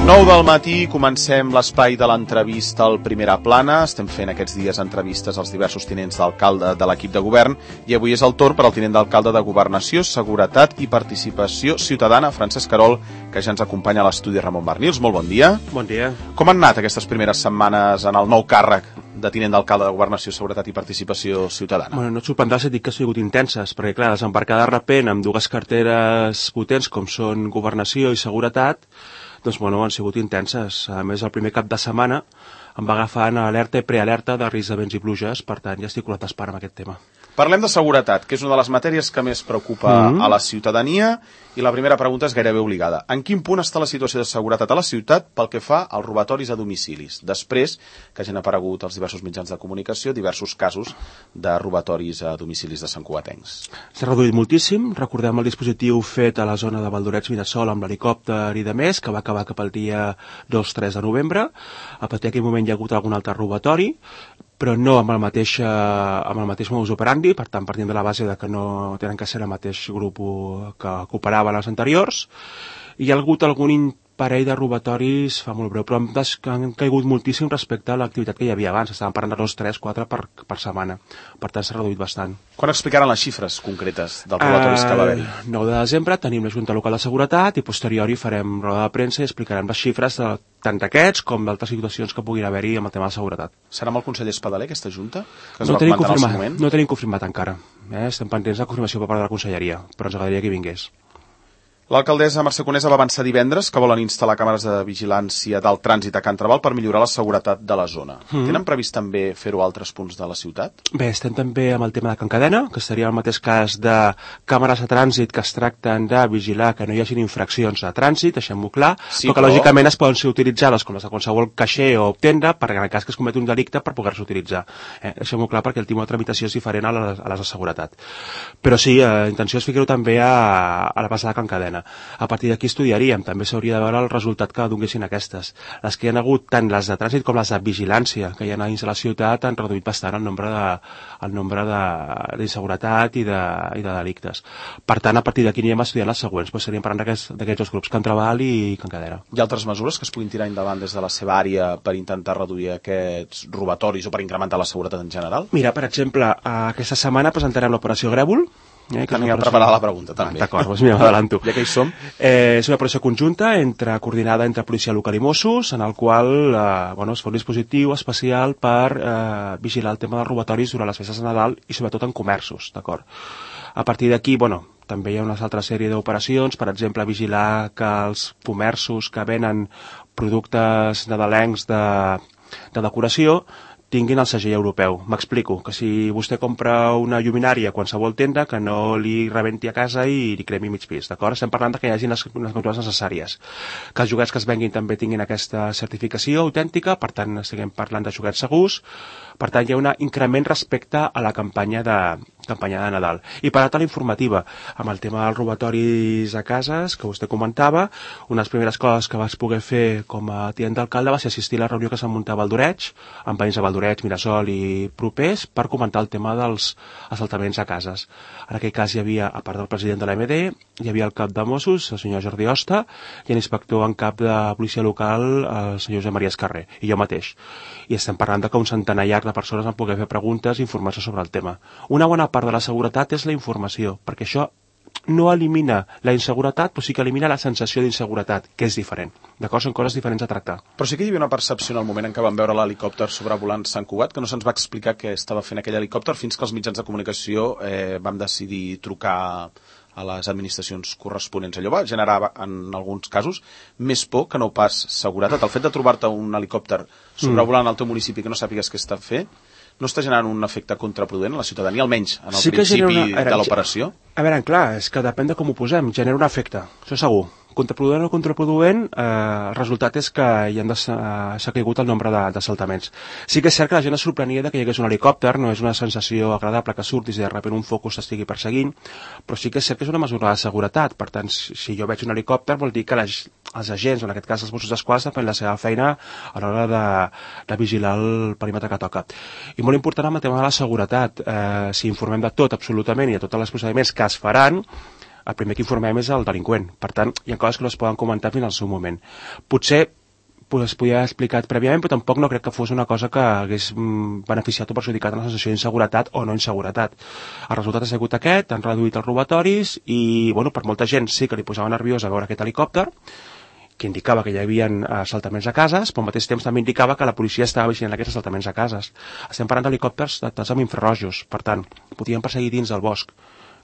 9 del matí, comencem l'espai de l'entrevista al Primera Plana. Estem fent aquests dies entrevistes als diversos tinents d'alcalde de l'equip de govern i avui és el torn per al tinent d'alcalde de Governació, Seguretat i Participació Ciutadana, Francesc Querol, que ja ens acompanya a l'estudi Ramon Barnils. Molt bon dia. Bon dia. Com han anat aquestes primeres setmanes en el nou càrrec de tinent d'alcalde de Governació, Seguretat i Participació Ciutadana? Bueno, no et sorprendrà si et dic que han sigut intenses, perquè clar, desembarcar de repent amb dues carteres potents com són Governació i Seguretat, doncs bueno, han sigut intenses. A més, el primer cap de setmana em va agafar en alerta i prealerta de risc de vents i pluges, per tant ja estic colat d'espera amb aquest tema. Parlem de seguretat, que és una de les matèries que més preocupa a la ciutadania, i la primera pregunta és gairebé obligada. En quin punt està la situació de seguretat a la ciutat pel que fa als robatoris a domicilis, després que hagin aparegut als diversos mitjans de comunicació diversos casos de robatoris a domicilis de santcugatencs? S'ha reduït moltíssim. Recordem el dispositiu fet a la zona de Valdorets-Mirasol amb l'helicòpter i de més, que va acabar cap al dia 2-3 de novembre. A partir d'aquell moment hi ha hagut algun altre robatori, però no amb el mateix modus operandi, per tant, partint de la base de que no tenen que ser el mateix grup que operaven els anteriors. Hi ha hagut algun parell de robatoris fa molt breu, però han caigut moltíssim respecte a l'activitat que hi havia abans. Estàvem parlant de 2, 3, 4 per setmana. Per tant, s'ha reduït bastant. Quan explicaran les xifres concretes dels robatoris que va haver-hi? 9 de desembre tenim la Junta Local de Seguretat i posteriori farem roda de premsa i explicarem les xifres tant d'aquests com d'altres situacions que puguin haver-hi amb el tema de seguretat. Serà amb el conseller Espadaler, aquesta Junta? Que no tenim confirmat encara. Estem pendents de confirmació per part de la Conselleria, però ens agradaria que hi vingués. L'alcaldessa Mercè Conesa va avançar divendres que volen instal·lar càmeres de vigilància del trànsit a Can Trabal per millorar la seguretat de la zona. Tenen previst també fer-ho a altres punts de la ciutat? Bé, estem també amb el tema de Can Cadena, que seria el mateix cas de càmeres de trànsit que es tracten de vigilar que no hi hagin infraccions de trànsit, deixem-ho clar, sí, però que lògicament es poden ser utilitzades com les de qualsevol caixer o tenda per en el cas que es cometi un delicte per poder-se utilitzar. Deixem-ho clar perquè el tipus de tramitació és diferent a les de seguretat. Però sí, la intenció és fer-ho també a la base de Can Cadena. A partir d'aquí estudiaríem, també s'hauria de veure el resultat que donguessin aquestes. Les que hi ha hagut, tant les de trànsit com les de vigilància, que hi ha dins de la ciutat, han reduït bastant el nombre d'inseguretat i de delictes. Per tant, a partir d'aquí anirem a estudiar les següents, doncs seríem parlant d'aquests dos grups, Can Trabal i Can Cadena. Hi ha altres mesures que es puguin tirar endavant des de la seva àrea per intentar reduir aquests robatoris o per incrementar la seguretat en general? Mira, per exemple, aquesta setmana presentarem l'operació Grèvol. Tenia preparada la pregunta, també. D'acord, doncs mira, m'adelanto. Ja que hi som. És una operació conjunta coordinada entre policia local i Mossos, en el qual es fa un dispositiu especial per vigilar el tema dels robatoris durant les festes de Nadal i sobretot en comerços, d'acord? A partir d'aquí, també hi ha una altra sèrie d'operacions, per exemple, vigilar que els comerços que venen productes nadalencs de decoració tinguin el segell europeu. M'explico, que si vostè compra una lluminària a qualsevol tenda, que no li rebenti a casa i li cremi mig pis, d'acord? Estem parlant que hi hagi les mesures necessàries. Que els joguets que es venguin també tinguin aquesta certificació autèntica, per tant, estiguem parlant de joguets segurs. Per tant, hi ha un increment respecte a la campanya de Nadal. I per altra, l'informativa, amb el tema dels robatoris a cases, que vostè comentava, una de les primeres coses que vaig poder fer com a tinent d'alcalde va ser assistir a la reunió que s'ha muntat a Valdorets, amb veïns de Valdorets, Mirasol i propers, per comentar el tema dels assaltaments a cases. En aquell cas hi havia, a part del president de l'AMD, hi havia el cap de Mossos, el senyor Jordi Osta, i l'inspector en cap de policia local, el senyor Josep Maria Escarrer, i jo mateix. I estem parlant de que un centenar llarg de persones van poder fer preguntes i informar-se sobre el tema. Una bona part de la seguretat és la informació, perquè això no elimina la inseguretat, però sí que elimina la sensació d'inseguretat, que és diferent. D'acord? Són coses diferents a tractar. Però sí que hi havia una percepció en el moment en què vam veure l'helicòpter sobrevolant Sant Cugat, que no se'ns va explicar què estava fent aquell helicòpter fins que els mitjans de comunicació vam decidir trucar a les administracions corresponents. Allò va generar, en alguns casos, més por que no pas seguretat. El fet de trobar-te un helicòpter sobrevolant el teu municipi que no sàpigues què està fent, no està generant un efecte contraproduent a la ciutadania, almenys en el principi de l'operació? A veure, clar, és que depèn de com ho posem, genera un efecte, això segur. Contraproduent o contraproduent, el resultat és que s'ha caigut el nombre d'assaltaments. Sí que és cert que la gent es sorprenia que hi hagués un helicòpter, no és una sensació agradable que surtis i de sobte un focus t'estigui perseguint, però sí que és cert que és una mesura de seguretat. Per tant, si jo veig un helicòpter vol dir que els agents, en aquest cas els Mossos d'Esquadra, fan la seva feina a l'hora de vigilar el perímetre que toca. I molt important amb el tema de la seguretat, si informem de tot absolutament i de tots els procediments que es faran, el primer que informem és el delinqüent. Per tant, hi ha coses que no es poden comentar fins al seu moment. Potser es podia haver explicat prèviament, però tampoc no crec que fos una cosa que hagués beneficiat o perjudicat en la sensació d'inseguretat o no inseguretat. El resultat ha sigut aquest, han reduït els robatoris i, bueno, per molta gent sí que li posava nerviós a veure aquest helicòpter, que indicava que hi havia assaltaments a cases, però al mateix temps també indicava que la policia estava vigilant aquests assaltaments a cases. Estem parlant d'helicòpters datats amb infrarrojos, per tant, podien perseguir dins del bosc,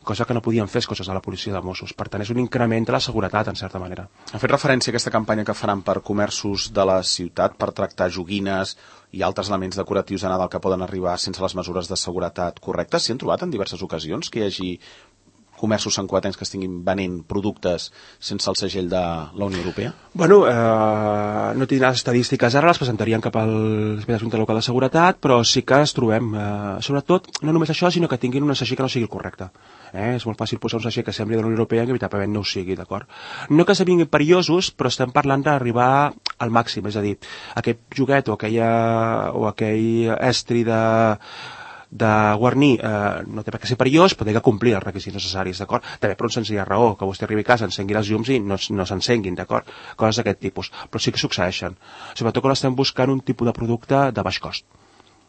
cosa que no podien fer coses a la policia de Mossos. Per tant, és un increment de la seguretat, en certa manera. Ha fet referència a aquesta campanya que faran per comerços de la ciutat per tractar joguines i altres elements decoratius de Nadal que poden arribar sense les mesures de seguretat correctes. S'hi han trobat en diverses ocasions que hi hagi comerços santcugatencs que estiguin venent productes sense el segell de la Unió Europea? Bueno, no tinc les estadístiques ara, les presentarien cap al Junta Local de Seguretat, però sí que es trobem, sobretot, no només això, sinó que tinguin un segell que no sigui el correcte. És molt fàcil posar un segell que sembli de la Unió Europea i que inevitablement no ho sigui, d'acord? No que esdevinguin perillosos, però estem parlant d'arribar al màxim, és a dir, aquest joguet o aquell estri de guarnir no té per què ser perillós, però té que complir els requisits necessaris, d'acord? També per una senzilla raó, que vostè arribi a casa, encengui les llums i no s'encenguin, d'acord? Coses d'aquest tipus, però sí que succeeixen. Sobretot quan estem buscant un tipus de producte de baix cost.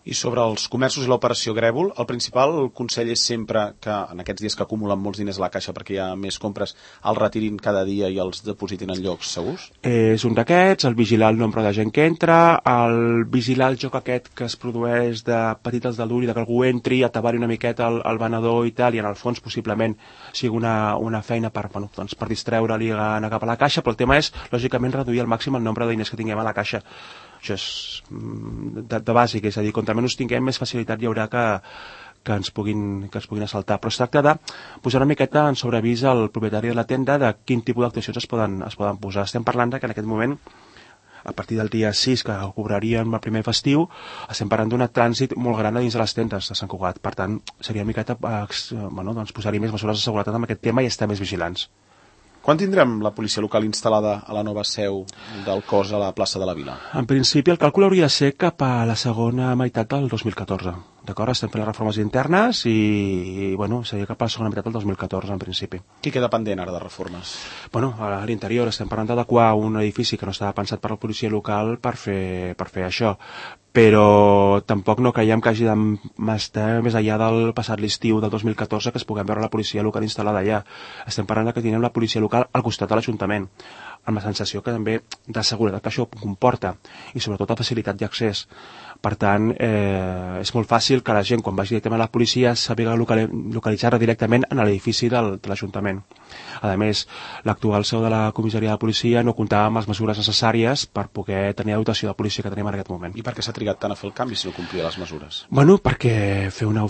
I sobre els comerços i l'operació Grèvol, el principal consell és sempre que en aquests dies que acumulen molts diners a la caixa perquè hi ha més compres, els retirin cada dia i els depositin en llocs segurs? És un d'aquests, el vigilar el nombre de gent que entra, el vigilar el joc aquest que es produeix de petit als del dur i que algú entri, atabar-hi una miqueta al venedor i tal, i en el fons possiblement sigui una feina per distreure-li a anar cap a la caixa, però el tema és, lògicament, reduir al màxim el nombre de diners que tinguem a la caixa. Això és de bàsic, és a dir, contra menys tinguem, més facilitat hi haurà que ens puguin assaltar. Però es tracta de posar una miqueta en sobreavís al propietari de la tenda de quin tipus d'actuacions es poden posar. Estem parlant que en aquest moment, a partir del dia 6, que cobraríem el primer festiu, estem parlant d'un trànsit molt gran dins de les tendes de Sant Cugat. Per tant, seria una miqueta posar-hi més mesures de seguretat amb aquest tema i estar més vigilants. Quan tindrem la policia local instal·lada a la nova seu del cos a la plaça de la Vila? En principi, el càlcul hauria de ser cap a la segona meitat del 2014. D'acord? Estem fent les reformes internes i seria cap a la segona meitat del 2014, en principi. Què queda pendent ara de reformes? Bueno, a l'interior estem parlant d'adequar un edifici que no estava pensat per la policia local per fer això. Però tampoc no creiem que hagi d'estar més enllà del passat l'estiu del 2014 que es puguem veure la policia local instal·lada allà. Estem parlant que tindrem la policia local al costat de l'Ajuntament, amb la sensació que també de seguretat que això comporta i sobretot de facilitat d'accés. Per tant, és molt fàcil que la gent, quan vagi directament a la policia, sàpiga localitzar directament en l'edifici de l'Ajuntament. A més, l'actual seu de la comissaria de policia no comptava amb les mesures necessàries per poder tenir la dotació de policia que tenim en aquest moment. I per què s'ha trigat tant a fer el canvi si no complia les mesures? Bueno, perquè fer una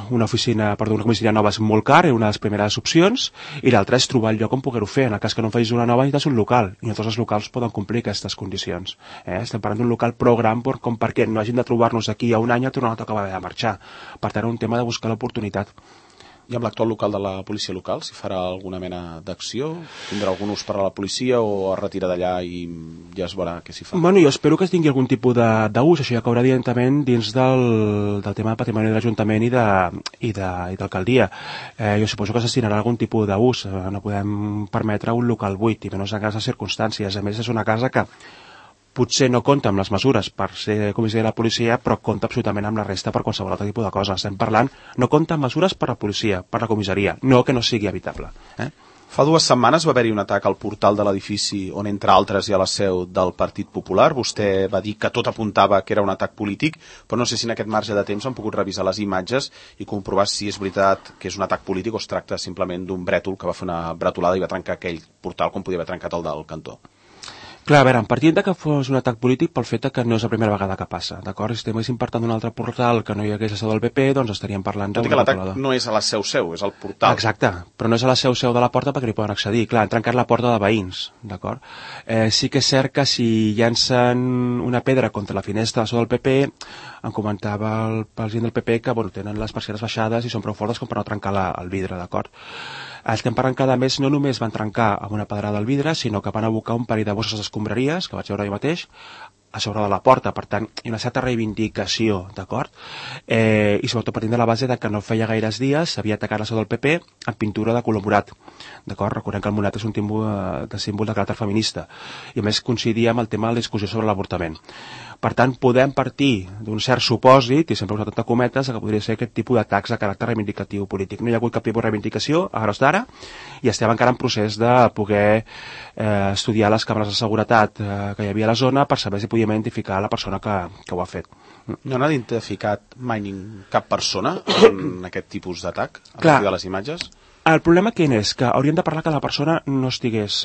comissaria nova és molt car, és una de les primeres opcions, i l'altra és trobar el lloc on poder-ho fer. En el cas que no facis una nova, necessites un local, i no tots els locals poden complir aquestes condicions. Estem parlant d'un local prou gran com perquè no hagin de trobar-nos d'aquí a un any a tornar a acabar de marxar. Per tant, un tema de buscar l'oportunitat. I amb l'actual local de la policia local, si farà alguna mena d'acció? Tindrà algun ús per a la policia o es retira d'allà i ja es veurà què s'hi fa? Bueno, jo espero que es tingui algun tipus d'ús, això ja caurà directament dins del tema de patrimoni de l'Ajuntament i d'alcaldia. Jo suposo que es destinarà algun tipus d'ús, no podem permetre un local buit, i menys en aquestes circumstàncies. A més, és una casa que potser no compta amb les mesures per ser comissari de la policia, però compta absolutament amb la resta per qualsevol altre tipus de cosa. Estem parlant, no compta amb mesures per la policia, per la comissaria, no que no sigui habitable. Fa 2 setmanes va haver-hi un atac al portal de l'edifici on, entre altres, hi ha la seu del Partit Popular. Vostè va dir que tot apuntava que era un atac polític, però no sé si en aquest marge de temps han pogut revisar les imatges i comprovar si és veritat que és un atac polític o es tracta simplement d'un brètol que va fer una bretolada i va trencar aquell portal com podia haver trencat el del cantó. Clar, a veure, partint que fos un atac polític pel fet que no és la primera vegada que passa, d'acord? Si estiguéssim parlant d'un altre portal que no hi hagués la seu del PP, doncs estaríem parlant d'una bretolada. Tot i que l'atac no és a la seu, és al portal. Exacte, però no és a la seu de la porta perquè hi poden accedir. Clar, han trencat la porta de veïns, d'acord? Sí que és cert que si llancen una pedra contra la finestra de la seu del PP, em comentava el president del PP que tenen les persianes baixades i són prou fortes com per no trencar el vidre, d'acord? Estem parlant que, a més, no només van trencar amb una pedrada al vidre, sinó que van abocar un parell de bosses d'escombraries, que vaig veure jo mateix, a sobre de la porta, per tant, hi ha una certa reivindicació, d'acord? I sobretot partint de la base de que no feia gaires dies s'havia atacat la seu del PP amb pintura de color morat, d'acord? Recordem que el morat és un símbol de caràcter feminista, i a més coincidia amb el tema de la discussió sobre l'avortament. Per tant, podem partir d'un cert supòsit, i sempre he usat entre cometes, que podria ser aquest tipus d'atacs de caràcter reivindicatiu polític. No hi ha hagut cap tipus de reivindicació a hores d'ara, i estem encara en procés de poder estudiar les càmeres de seguretat que hi havia a la zona per saber si podia identificar la persona que ho ha fet. No n'ha identificat mai cap persona en aquest tipus d'atac a partir de les imatges? El problema quin és? Que hauríem de parlar que la persona no estigués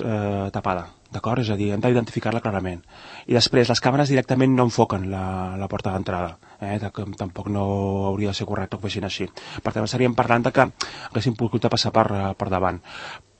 tapada, d'acord? És a dir, hem d'identificar-la clarament. I després, les càmeres directament no enfoquen la porta d'entrada. Tampoc no hauria de ser correcte que fessin així. Per tant, estaríem parlant de que haguéssim pogut passar per davant.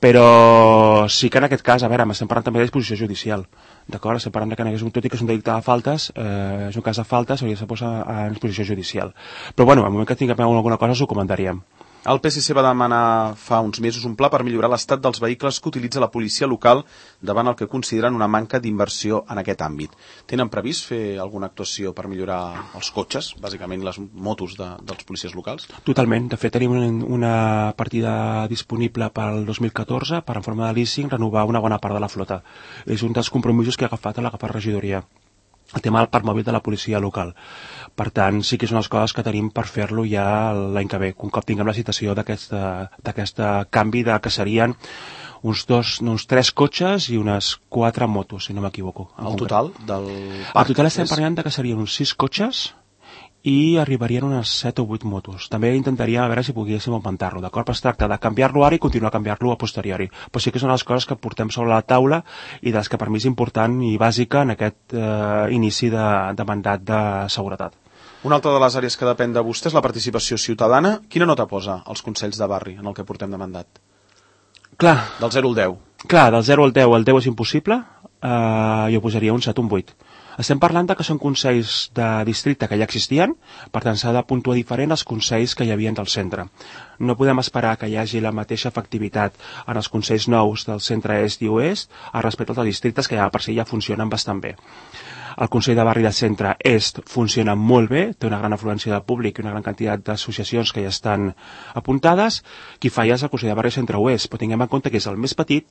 Però sí que en aquest cas, a veure, estem parlant també de disposició judicial, d'acord? Estem parlant que tot i que és un delicte de faltes, és un cas de faltes, hauria de posar a disposició judicial. Però bueno, al moment que tinguem alguna cosa us ho comentaríem. El PSC va demanar fa uns mesos un pla per millorar l'estat dels vehicles que utilitza la policia local davant el que consideren una manca d'inversió en aquest àmbit. Tenen previst fer alguna actuació per millorar els cotxes, bàsicament les motos dels policies locals? Totalment. De fet, tenim una partida disponible pel 2014 per, en forma de leasing, renovar una bona part de la flota. És un dels compromisos que ha agafat la regidoria, el tema del parc mòbil de la policia local. Per tant, sí que és unes coses que tenim per fer-lo ja l'any que ve, un cop tinguem la citació d'aquest canvi que serien uns 3 cotxes i unes 4 motos, si no m'equivoco. El total del parc? El total estem parlant que serien uns 6 cotxes i arribarien unes 7 o 8 motos. També intentaríem a veure si poguéssim augmentar-lo, d'acord? Però es tracta de canviar-lo ara i continuar a canviar-lo a posteriori. Però sí que són les coses que portem sobre la taula i de les que per mi és important i bàsica en aquest inici de mandat de seguretat. Una altra de les àrees que depèn de vostè és la participació ciutadana. Quina nota posa als consells de barri en el que portem de mandat? Clar. Del 0 al 10. Clar, del 0 al 10, el 10 és impossible, jo posaria un 7 o un 8. Estem parlant que són consells de districte que ja existien, per tant s'ha de puntuar diferent als consells que hi havia del centre. No podem esperar que hi hagi la mateixa efectivitat en els consells nous del centre est i oest respecte als districtes que ja per si ja funcionen bastant bé. El Consell de Barri de Centre Est funciona molt bé, té una gran afluència de públic i una gran quantitat d'associacions que ja estan apuntades. Qui falla és el Consell de Barri de Centre Oest, però tinguem en compte que és el més petit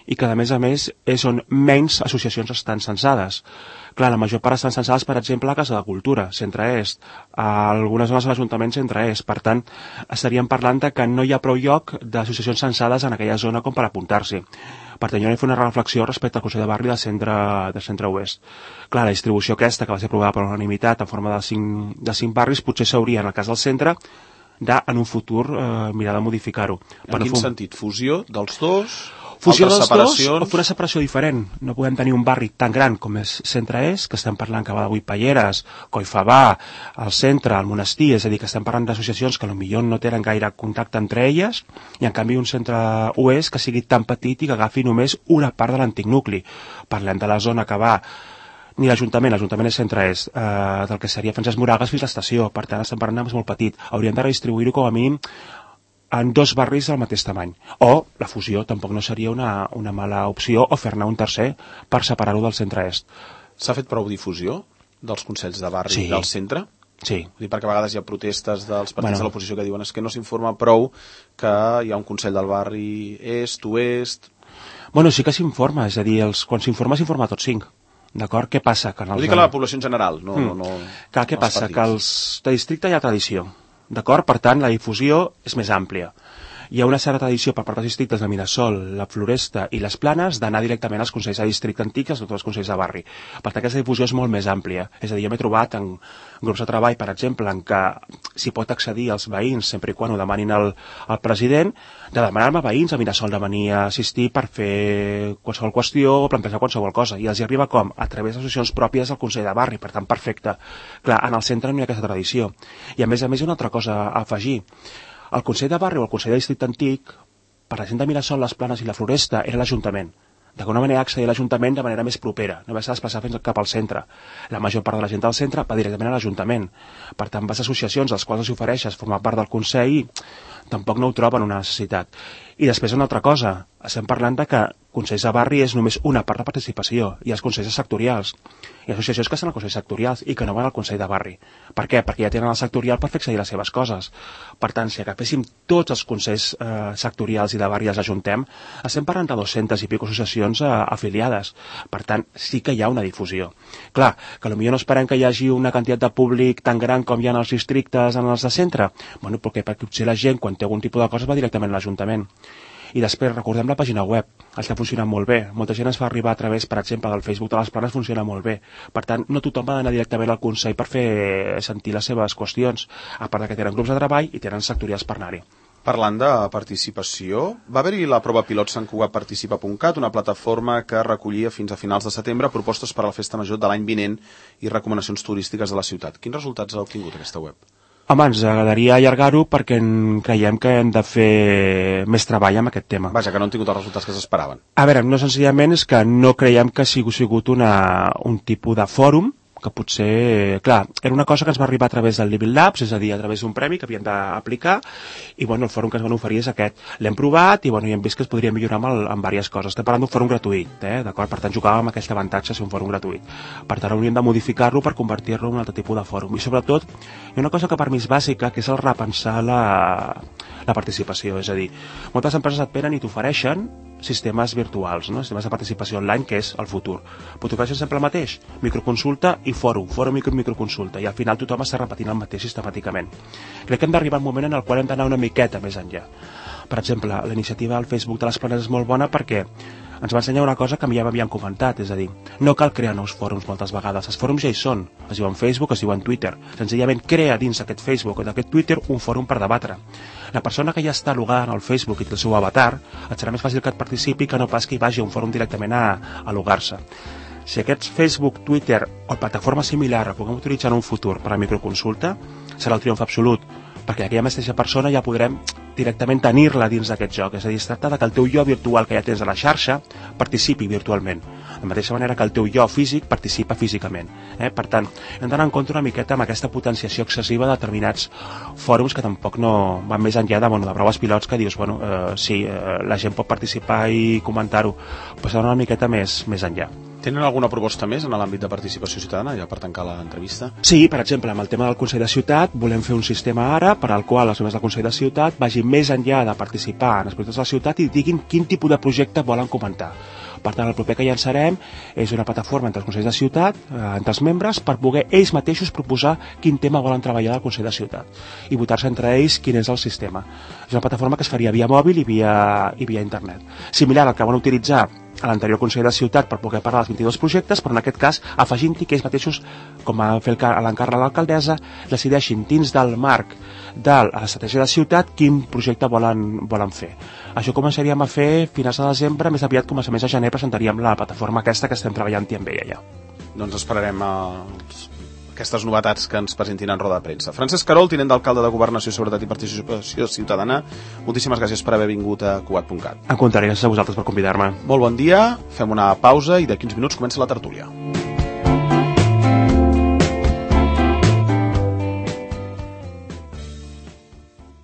i que, a més, és on menys associacions estan censades. Clar, la major part estan censades, per exemple, a Casa de Cultura, Centre-Est, a algunes zones de l'Ajuntament Centre-Est. Per tant, estaríem parlant que no hi ha prou lloc d'associacions censades en aquella zona com per apuntar-s'hi. Per tant, jo he fet una reflexió respecte al Consell de Barri de Centre-Oest. Clar, la distribució aquesta, que va ser aprovada per unanimitat en forma de 5 barris, potser s'hauria, en el cas del centre, en un futur mirar de modificar-ho. En quin sentit? Fusió dels dos? Fusió dels dos o fer una separació diferent. No podem tenir un barri tan gran com és Centre-Est, que estem parlant que va de Vuitpalleres, Collfabà, el centre, el monestir, és a dir, que estem parlant d'associacions que potser no tenen gaire contacte entre elles, i en canvi un centre-oest que sigui tan petit i que agafi només una part de l'antic nucli. Parlem de la zona que va ni l'Ajuntament és Centre-Est, del que seria Francesc Moragas fins a l'estació, per tant estem parlant de molt petit. Hauríem de redistribuir-ho com a mínim en 2 barris del mateix tamany. O la fusió tampoc no seria una mala opció, o fer-ne un tercer per separar-ho del centre-est. S'ha fet prou difusió dels consells de barri del centre? Sí. Perquè a vegades hi ha protestes dels partits de l'oposició que diuen que no s'informa prou que hi ha un consell del barri est, oest... Bueno, sí que s'informa, és a dir, quan s'informa a tots 5. D'acord? Què passa? Ho dic a la població en general, no... Clar, què passa? Que als de districte hi ha tradició. D'acord? Per tant, la difusió és més àmplia. Hi ha una certa tradició per part dels districtes de Mirasol, la Floresta i les Planes d'anar directament als consells de districte antics i als altres consells de barri. Per tant, aquesta difusió és molt més àmplia. És a dir, jo m'he trobat en grups de treball, per exemple, en què s'hi pot accedir als veïns sempre i quan ho demanin al president, de demanar-me a veïns a Mirasol de venir a assistir per fer qualsevol qüestió o plantejar qualsevol cosa. I els hi arriba com? A través d'associacions pròpies del Consell de Barri, per tant, perfecte. Clar, en el centre no hi ha aquesta tradició. I a més, una altra cosa a afegir. El Consell de Barri o el Consell de Districte Antic, per la gent de Mirasol, les Planes i la Floresta, era l'Ajuntament. D'alguna manera accedir a l'Ajuntament de manera més propera, no vas a desplaçar fins cap al centre. La major part de la gent del centre va directament a l'Ajuntament. Per tant, vas a associacions als quals els ofereixes formar part del Consell i tampoc no ho troben una necessitat. I després una altra cosa, estem parlant de que consells de barri és només una part de participació, i els consells sectorials. Hi ha associacions que estan als consells sectorials i que no van al consell de barri. Per què? Perquè ja tenen el sectorial per fer accedir les seves coses. Per tant, si agaféssim tots els consells sectorials i de barri i els ajuntem, estem parlant de 200 i pico associacions afiliades. Per tant, sí que hi ha una difusió. Clar, que potser no esperem que hi hagi una quantitat de públic tan gran com hi ha en els districtes, en els de centre. Bueno, perquè potser la gent, quan té algun tipus de cosa, va directament a l'Ajuntament. I després recordem la pàgina web, està funcionant molt bé. Molta gent es fa arribar a través, per exemple, del Facebook de les Planes, funciona molt bé. Per tant, no tothom ha d'anar directament al Consell per fer sentir les seves qüestions, a part que tenen grups de treball i tenen sectorials per anar-hi. Parlant de participació, va haver-hi la prova pilot santcugatparticipa.cat, una plataforma que recollia fins a finals de setembre propostes per a la festa major de l'any vinent i recomanacions turístiques de la ciutat. Quins resultats ha obtingut aquesta web? Home, ens agradaria allargar-ho perquè creiem que hem de fer més treball amb aquest tema. Vaja, que no han tingut els resultats que s'esperaven. A veure, no senzillament és que no creiem que sigui sigut un tipus de fòrum, que potser, clar, era una cosa que ens va arribar a través del Living Labs, és a dir, a través d'un premi que havíem d'aplicar, i bueno, el fòrum que ens van oferir és aquest. L'hem provat i bueno, i hem vist que es podria millorar amb diverses coses. Estem parlant d'un fòrum gratuït, d'acord? Per tant, jugàvem amb aquest avantatge de ser un fòrum gratuït. Per tant, hauríem de modificar-lo per convertir-lo en un altre tipus de fòrum. I sobretot, hi ha una cosa que per mi és bàsica, que és el repensar la participació. És a dir, moltes empreses et venen i t'ofereixen sistemes virtuals, no? Sistemes de participació online, que és el futur. Però t'ofereixen sempre el mateix, microconsulta i fòrum, microconsulta, i al final tothom està repetint el mateix sistemàticament. Crec que hem d'arribar a un moment en el qual hem d'anar una miqueta més enllà. Per exemple, la iniciativa del Facebook de les Planes és molt bona perquè ens va ensenyar una cosa que ja m'havien comentat, és a dir, no cal crear nous fòrums moltes vegades, els fòrums ja hi són, es diuen Facebook, es diuen Twitter, senzillament crea dins d'aquest Facebook o d'aquest Twitter un fòrum per debatre. La persona que ja està logada en el Facebook i té el seu avatar, et serà més fàcil que et participi que no pas que hi vagi a un fòrum directament a logar-se. Si aquests Facebook, Twitter o plataforma similar el puguem utilitzar en un futur per a microconsulta, serà el triomf absolut, perquè aquella mateixa persona ja podrem directament tenir-la dins d'aquest joc. És a dir, es tracta que el teu jo virtual que ja tens a la xarxa participi virtualment, de la mateixa manera que el teu jo físic participa físicament. Per tant, hem d'anar en compte una miqueta amb aquesta potenciació excessiva de determinats fòrums que tampoc no van més enllà de proves pilots que dius, sí, la gent pot participar i comentar-ho, però s'ha d'anar una miqueta més enllà. Tenen alguna proposta més en l'àmbit de participació ciutadana, ja per tancar l'entrevista? Sí, per exemple, amb el tema del Consell de Ciutat volem fer un sistema ara per al qual els membres del Consell de Ciutat vagin més enllà de participar en els projectes de la ciutat i diguin quin tipus de projecte volen comentar. Per tant, el proper que llançarem és una plataforma entre els Consells de Ciutat, entre els membres, per poder ells mateixos proposar quin tema volen treballar del Consell de Ciutat i votar-se entre ells quin és el sistema. És una plataforma que es faria via mòbil i via internet. Similar al que van utilitzar a l'anterior Consell de Ciutat per poder parlar dels 22 projectes, però en aquest cas afegint-hi que ells mateixos, com va fer l'encàrrec de l'alcaldessa, decideixin dins del marc de l'estratègia de ciutat quin projecte volen fer. Això començaríem a fer finals de desembre, més aviat començaments de gener presentaríem la plataforma aquesta que estem treballant-hi amb ella ja. Doncs esperarem aquestes novetats que ens presentin en roda de premsa. Francesc Carol, tinent d'alcalde de Governació, Seguretat i Participació Ciutadana, moltíssimes gràcies per haver vingut a Cugat.cat. En contrari, gràcies a vosaltres per convidar-me. Molt bon dia, fem una pausa i d'aquí uns minuts comença la tertúlia.